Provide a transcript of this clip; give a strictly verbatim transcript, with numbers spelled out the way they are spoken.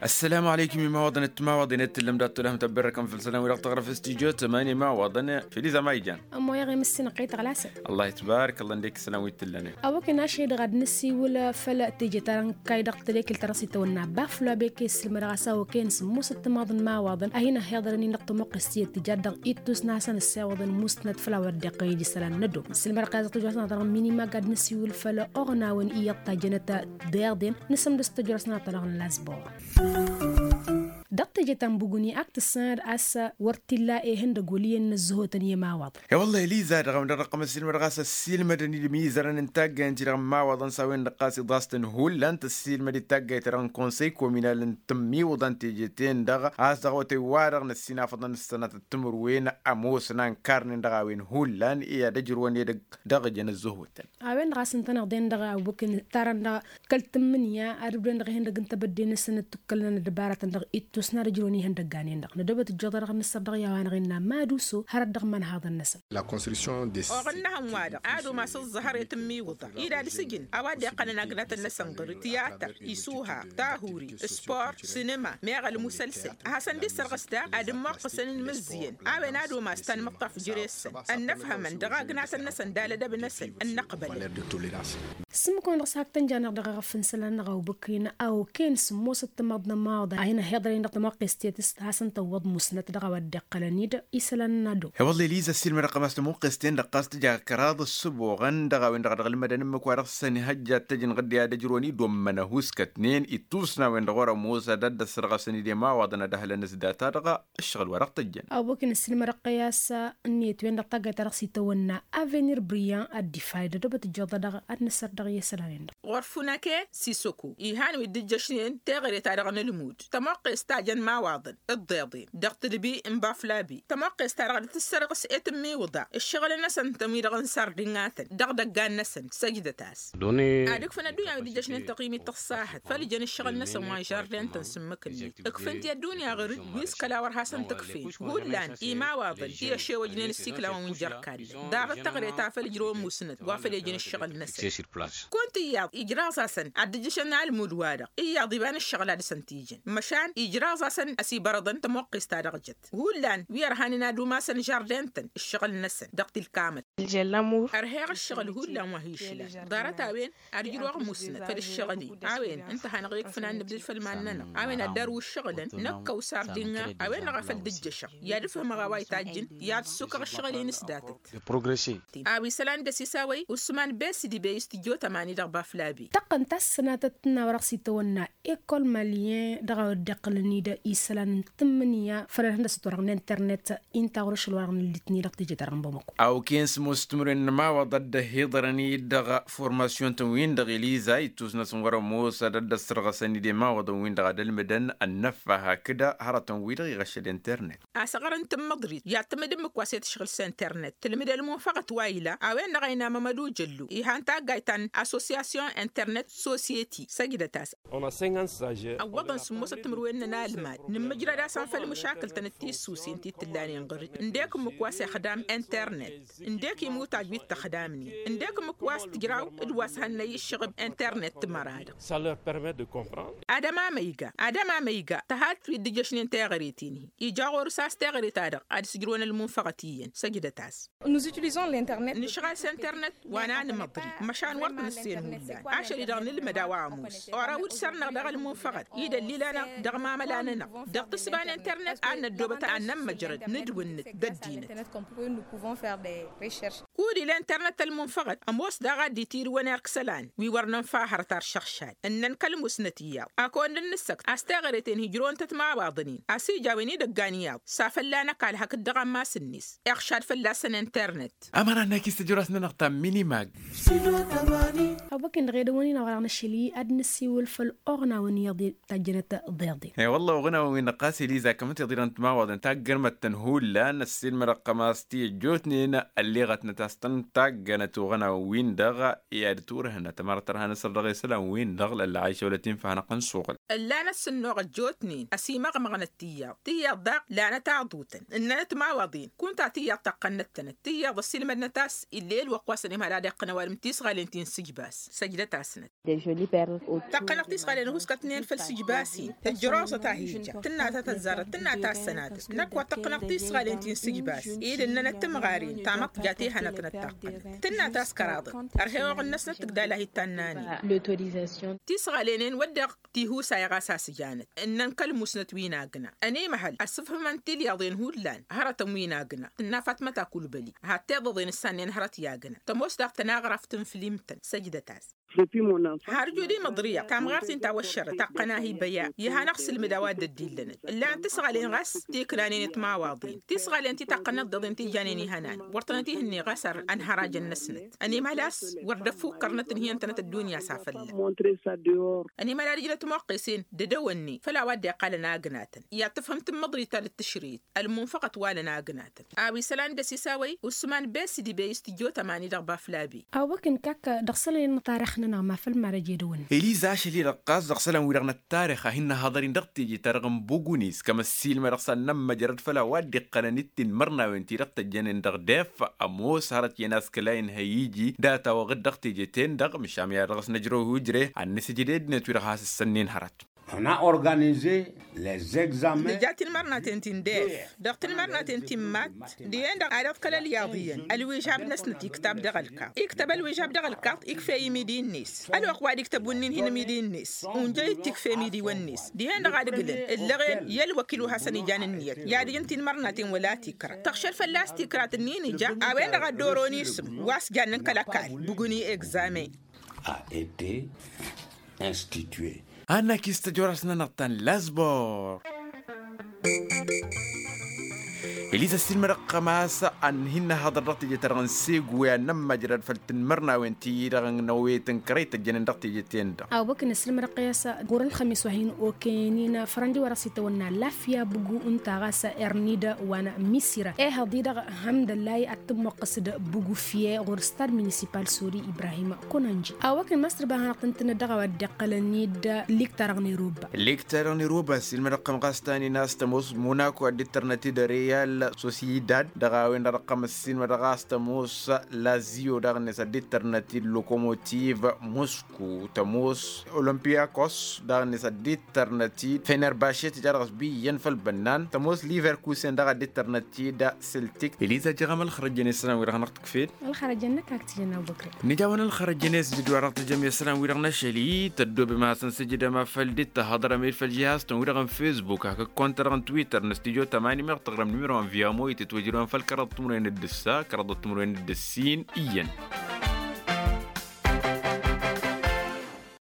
Ăssălamu aleykum imawaḍăn d-timawaḍen i-tǝllăm dat-tolăhăm tăbberrăkăm făll-isălan wi-dăɣ tăɣrăf s-tijot tămani imawaḍăn. Filiza ma ijan. Ămmoyăɣ i-mǝssin ăqqăy tăɣlasăn. Allah itbarăk ăllăn d-ekk isălan wi-t-tǝllănen. Awăken ašăl-i-dăɣ ad-nǝsiwǝl făll-teje ta dăɣ-n kay dăɣ-tălekelt ta dăɣ-s itawănna baflab ekes s-măraɣ a-s awăken s-musăt timaḍăn imawaḍăn a hin-ăhhiḍărăn-in dăɣ-tămoqqest tiyyăt tǝja dăɣ-ittus n-ad-hasăn-ăssewăḍăn musnăt făll-a-wa dd-iqqăyăd isălan n-ăddob. N-sǝlmădăɣ kayăẓ tăjrasăn a ta dăɣ-minimag ad-nǝsiwǝl făll-oɣnawen iyyăḍ tajjănăt d-iḍen. Nǝsǝmdǝs tăjrasăn a ta dăɣ-n lasbor. Dăɣ-teje ta n-buguni ak tǝssanăd a-s wăr t-illa ehăndăg wăl' iyyăn n-ăzzăhotăn i-ămawaḍăn. E-wălla eliza dăɣ-a-wen-dăɣ dăɣ-tăqqăm ăssiilmădăɣ a-s ăssiilmădăn-dd imizărăn n-taggayăn-ti-dăɣ n-imawaḍăn s-a-wen-dăɣ ɣas iḍas-tăn hullan tăssiilmăd-dd taggayt-ta-dăɣ n-konsăy kominal n-tǝmmiwǝḍa n-teje-ten-dăɣ a-s dăɣ-awătay-wa-dăɣ n-ăssinafăḍăn s-sănatăt timǝrwen ămoosăn a ǝnkarnen dăɣ-a-wen hullan i-ad-ăjrǝwăn edăgg dăɣ-ijăn ăzzăhotăn. A-wen-dăɣ a-s ǝntăneḍ-en dăɣ-a-wen kăl-tǝmmǝnǝya ad-ǝbdǝwăn dăɣ-ihăndăg n-tebădde-năsăn d-tukkălăn ăddăbaratăn dăɣ-ittus n-ad-ǝjrǝwăn ihăndăggan-en-dăɣ nădobăt ǝjjăḍ-a-dăɣ n-ăssăr dăɣ-i a-wa-năɣ innă maduso hărăt dăɣ-imanhaḍăn-năsăn. Oɣănnăhăn-wa-dăɣ ad-umas ǝẓẓăhăr i-tǝmmiwǝḍa-i d-ad-sǝjǝn a-wa dd-iqqănăn agnatăn-năsăn ɣur-dd tiyatăr, isuha, tahuri, sport, sinima, meɣ ălmusălsăl. A hasăn-dd-issărɣǝs daɣ ad-ǝmmoqqăsăn inmǝzzǝyăn a-wen ad-umas tanmǝḍt afjǝre-săn ănnăfhămăn dăɣ-agnatăn-năsăn d-alădăb-năsăn ănnăqbălăn. S-ǝmmǝk-wen-dăɣ s-hak tăn-janăɣ dăɣ-eɣăf n-isălan-năɣ a ubǝkǝyăn a okăyăn s-ămoosăt timaḍt n-ămmawaḍăn a hin-ăhhiḍărăn-in dăɣ-tămoqqest tiyyăt s-hasăn-tăwwăḍ musnăt dăɣ-a-wa dd-iqqălăn-dd isălan n-ado. E-wălla eliza ăssiilmădăɣ-tăm a-s tămoqqest-en-dăɣ ɣas tǝja kăraḍ ăssăboɣăn dăɣ-a-wen-dăɣ a dăɣ-ǝlmădăn ǝmmǝk wa dăɣ-săn ihăjja ad-t-ăjǝn ɣǝdde ad-ăjrăwăn-dd wămmăn ăhuskătnen ittus n-a-wen-dăɣ wăr-ămoos ad-dd-ăssărɣăsăn-dd i-ămawaḍăn ad-ăhlăn s-data-dăɣ. Ǝššăɣǝl wa dăɣ-tăjjăn. Awăken ăssiilmădăɣ tăyy a-s ǝnniyăt-wen-dăɣ taggayt-ta-dăɣ s-itawănna avenir briyan ad-dd-ifayd ădobăt ǝjjăḍ-a-dăɣ ad-nǝsăr dăɣ-i isălan-en-dăɣ. Ɣur-funake sisăku ihan wi dd-ǝjjăšnen teɣăre-ta-dăɣ n-ǝlmud tămoqqes ta jăn imawaḍăn d-iḍeḍen dăɣ-tǝlbi n-baflabi tămoqqes-ta-dăɣ dd-tǝssărɣǝs i-tǝmmiwǝḍa ǝššăɣǝl-năsăn-tăn wi-dăɣ n-sardinnatăn dăɣ-idăggan-năsăn. Săjdăt-as. Ad-ǝkfǝn ăddunya wi dd-ǝjjăšnen tăɣimit tăṣṣahăt făll-ijăn ǝššăɣǝl-năsăn wa n-žardin-tăn s-ǝmmǝk-net. Ǝkfǝn-t i-ăddunya ɣur-dd wi s-kăla wăr hasăn-t-ǝkfen hullan imawaḍăn i-ăšewăjnen ǝssiklawăn wi n-jer-kallăn ḍarăt teɣăre ta făll-ǝjrăwăn musnăt wa făl ejăn ǝššăɣǝl-năsăn. Kunta iyyăḍ ijraẓ-asăn ad-dd-ǝjjăšăn almud-wa-dăɣ iyyăḍ iba n-ǝššăɣǝl a dăɣ-săn t-ijăn măšan ijraẓ-asăn ăsibărăḍăn tămoqqes-ta-dăɣ jăt. Hullan wi ărhanen ad-umasăn žardin-tăn ǝššăɣǝl-năsăn dăɣ-tilkamăt. Ărheɣ ǝššăɣǝl hullan wa hi-išlan ḍarăt a-wen ad-ǝjrăwăɣ musnăt făll-ǝššăɣǝl-i. A-wen ǝnta a hanăɣ-ikfǝn ad-nǝbdǝd făll-iman-nănăɣ a-wen ad-dăr-wǝššăɣǝlăn năkk ăwsar dinna. A-wen-dăɣ a făl dd-ǝjjăšăɣ i-ad-ǝfhǝmăɣ a-wa ităjjǝn i-ad-ǝssukăɣ ǝššăɣǝl-in s-datăt. A-wa isălan dăr-s isawăy usman besidi bey s-tǝjjot ămani dăɣ-baflabi. Tăqqăn ta s-sănatăt n-a-wa dăɣ-s itawănna ekol malyen dăɣ-a-wa dd-iqqălăn-dd isălan n-tǝmmǝnǝya făll-ălhăndăsăt wa dăɣ-n internet. Inta ɣur-ašăl wa dăɣ-nǝllitni dăɣ-teje-ta-dăɣ n-bamăko. Awken s-ămoos timǝrwen n-ămawaḍ a dd-ăhhiḍărăn-dd dăɣ-formasyon-tăn-win-dăɣ eliza ittus-năsăn wăr-ămoos ad-ăddăssărɣăsăn-dd i-ămawaḍăn-win-dăɣ ad-ălmǝdăn ănnăffa hakd hărătăn-wi-dăɣ iɣăššăd internet. Asăɣrăn tǝmmǝḍrit i-ad-tǝmmǝd ǝmmǝk wa s-e-tǝšɣǝl s-internet tǝlmǝd ălmunfăɣăt wa ila a-wen-dăɣ a ina mămădu jăllu ihan taggayt ta n-associasyon internet sosyeti. Săjdăt-as. Ăwwăḍăn sǝmmosăt timǝrwen n-ănalmad nǝmmǝjrăd-asăn făll-măšakǝl-tăn d-tissusen ti t-ǝllanen ɣur-dd ǝndek ǝmmǝk wa s-ixdam internet ǝndek imutaj wi t-ăxdamnen ǝndek ǝmmǝk wa s-tǝjraw d-wa s-hannăy ǝššăɣǝb internet timăra-dăɣ. Ad-ămamăyga ad-ămamăyga tăhalt wi dd-ǝjjăšnen teɣăre-ten-hi ija ɣur-s a-s teɣăre-ta-dăɣ ad-ǝsǝjrǝwăn ălmunfăɣăt iyyăn săjdăt-as. Nǝšɣal s-internet wa n-anmăḍri măšan wăr t-nǝssen hullan ašăl-i-dăɣ nǝlmăd a-wa ămoos. Orăw d-săr-năɣ dăɣ-ălmunfăɣăt idăll'-i lanăɣ dăɣ-imamăla-nănăɣ dăɣ-tǝssǝba n-internet ad-năddobăt ad-nămmăjrăd nǝdwǝnnǝt d-ăddinăt. Kud-ila internet ălmunfăɣăt ămoos daɣ ad-dd-itirǝwăn erk isălan wi wăr nǝnfa hărăt ar šăɣšad ǝnnăn kăl-musnăt iyyăḍ ad-kăwăn-dd-nǝssăkt a-s teɣăre-ten hi-ǝjrăwăn-tăt imawaḍăn-in a-s ija a-wen idăggan iyyăḍ s-afălla n-ăkall hakd dăɣ-ammas-net iɣšad fălla-săn internet. Ămăra n-akis tăjrăwt-nănăɣ ta n-minimag. Awăken dăɣ-edăwăn-in a-wa dăɣ-năšăl-i ad-năsiwǝl făll-oɣnawăn iyyăḍ tajjănăt ḍeḍen. I-wălla oɣnawăn wi n-ăqqas eliza kămăn tiḍǝrăn timawaḍăn taggărmăt-tăn hullan ăssiilmădăɣ-tăm a-s ti ăjjootnen ălleɣătnăt. a-s tăn-taggănăt oɣănawen-wi-dăɣ i-ad-turhǝnăt ămăra tărha n-asăr dăɣ-isălan-wi-dăɣ lălla ašăwlăt-in făhănăɣ n-suɣǝl. Ǝllan ăssǝnnuɣ ăjjootnen ăsimăɣmăɣnăt tiyyăḍ tiyyăḍ daɣ lanăt aḍutăn ǝnnănăt imawaḍen kunta tiyyăḍ taqqănnăt-tănăt tiyyăḍ ăssiilmădnăt a-s ill'-e ălwăqq wa s-ănimhăl ad-iqqăn ăwadǝm tisɣalen ti n-sǝjbas. Săjdăt-asnăt. Taqqănăɣ tisɣalen ăhuskătnen făll-sǝjbas-in ǝjjăroẓăt a hi-ija tǝnna ta tăzzarăt tǝnna ta ăssănatăt năkk wa tăqqănăɣ tisɣalen ti n-sǝjbas-i d-ǝnnănăt timɣaren tamăḍt ja-t ihănătnăt taqqănăt tǝnna ta s-kăraḍăt. Ărheɣ oɣǝn-năsnăt tǝgdal a hi-tannănen. Tisɣalenen wădden tihusay ɣas a-s ǝjanăt ǝnnăn kăl-musnăt wi n-agna ănimăhăl ăsǝfhǝmăn tilyaḍen hullan hărătăn wi n-agna tǝnna fatmăt akulbăli. Had-tiḍăḍen ǝssannen hărăt i-agna tămoos daɣ tăn-aɣraf tǝnfǝl imtăn săjdăt-as. Har jud imǝḍrǝyăɣ tamɣart-in ta wăššărăt taqqăn a hi-băya. Ihăn ăɣsǝlmǝd a-wa dd-ăddillănăt ǝllanăt tisɣalen ɣas ti ǝknanen i-timawaḍen tisɣalen ti taqqănnăt d-iḍen ti janen ihănan wăr tănăt-ihǝnne ɣas ănhărajăn-năsnăt. Ănimăhăl a-s wăr dd-ăffukkărnăt ǝnhǝyăn-tănăt ăddunya s-afălla. Ănimăhăl ad-ǝjnăt imoqqesen d-edăwănne făll-a-wa dd-iqqalăn agnatăn i-ad-tǝfhǝm tǝmmăḍrit ta dd-tǝšrǝyăt ălmunfăɣăt wa lăn agnatăn. A-wa isălan dăr-s isawăy usman besidi bey s-tǝjjot ămani dăɣ-baflabi. Awăkǝn kak dăɣ-isălan n-tarix-nănăɣ ma făll-marăj edăwănne. Eliza ašăl-i-dăɣ ɣas dăɣ-isălan-wi-dăɣ n-ăttarix a hin-nǝhaḍăr-in dăɣ-teje-ta-dăɣ n-bugunis kămăssilmădăɣ s-ad-nămmăjrăd făll-a-wa dd-iqqănăn d-tinmărnawen-ti-dăɣ tăjjănen dăɣ-def. Ămoos hărăt iyyăn a-s kăla inhăy iji data-wa-dăɣ dăɣ-teje-ten-dăɣ măšan mi-ad-dăɣ-s năjrăw i-ujre ad-nǝsǝjǝd i-ăddinăt-wi-dăɣ has-ǝssănnen hărăt. Nǝja tinmărnaten ti n-def dăɣ-tinmărnaten ti n-matt dihen-dăɣ ad-iḍkăl ălyaḍ iyyăn ălwižab-năsnăt iktăb dăɣ-ălkaḍ iktăb ălwižab dăɣ-ălkaḍ ikfey imidi-net. Ălwăqq wa dd-iktăb wǝnnin hin-imidi-net unjăy-dd tikfe imidiwăn-net dihen-dăɣ ad-ǝglǝn ǝllăɣen i-ălwăkil wa hasăn-ijan ǝnniyăt i-ad-ǝjǝn tinmărnaten wăla tikra tăɣšăl fălla-s tikra tǝnnin ija. A-wen-dăɣ ad-dd-oron isǝm wa s-jannen kăl-ăkall bǝgǝni egzamen. A été institué. Annak-is tăjorast-nănăɣ ta n-lazbor. Eliza s-ilmădăɣ ɣămas ad-hin-năhăḍăr dăɣ-teje-ta-dăɣ n-segwe ad-nămmăjrăd făll-tinmărnawen-ti-dăɣ n-awet n-kărăy tăjjănen dăɣ-teje-ten-dăɣ. Awăkǝn s-ilmădăɣ ɣas ɣur-ălxămis wa hin-okăyăn-in fărăndi wa dăɣ-s itawănna lafya bǝgu ǝnta ɣas ernida wa n-misira ehăḍ-i-dăɣ. Hămdăllay ad-tǝmmoqqǝs d-bugufye ɣur-stad municipal sori ibrahim konănji. Awăkǝn măsr bahanăɣ tǝntǝnăt dăɣ-a-wa dd-iqqălăn-dd lik-ta-dăɣ n-iruba. Lik-ta-dăɣ n-iruba s-ilmădăɣ-tăm ɣas ta n-inas tămoos monako ad-dd-tărnăt-dd real sosiyedad dăɣ-a-wen-dăɣ dăɣ-tăm s-ilmădăɣ ɣas tămoos lazio daɣ-net ad-dd-tărnăt-dd lokomotiv mosku tămoos olompiyakos daɣ-net ad-dd-tărnăt-dd fenerbashe tǝja dăɣ-s bi iyyăn făll-bănnan tămoos liverkusen daɣ ad-dd-tărnăt-dd seltik. Eliza jăɣăm ălxărăjjăn isălan-wi-dăɣ hanăɣ-tǝkfed. Ălxărăjjăn-năk ak tǝjăn abubăkr. Nǝja a-wen ălxărăjjăn i-s d-dd-wa-dăɣ tǝjăm i-isălan-wi-dăɣ n-ašăl-i tăddobem ad-hasăn-sǝjǝdăm a făl dd-tăhăḍrăm-dd făll-žihaz-tăn-wi-dăɣ n-fesbuk hak ǝkkontădăɣ n-twitter n-stujo tămani meɣ tăɣrăm nimero n-viamo itǝtwăjrăwăn făll-kăraḍăt timǝrwen d-ǝssa kăraḍăt timǝrwen d-ǝssin iyyăn.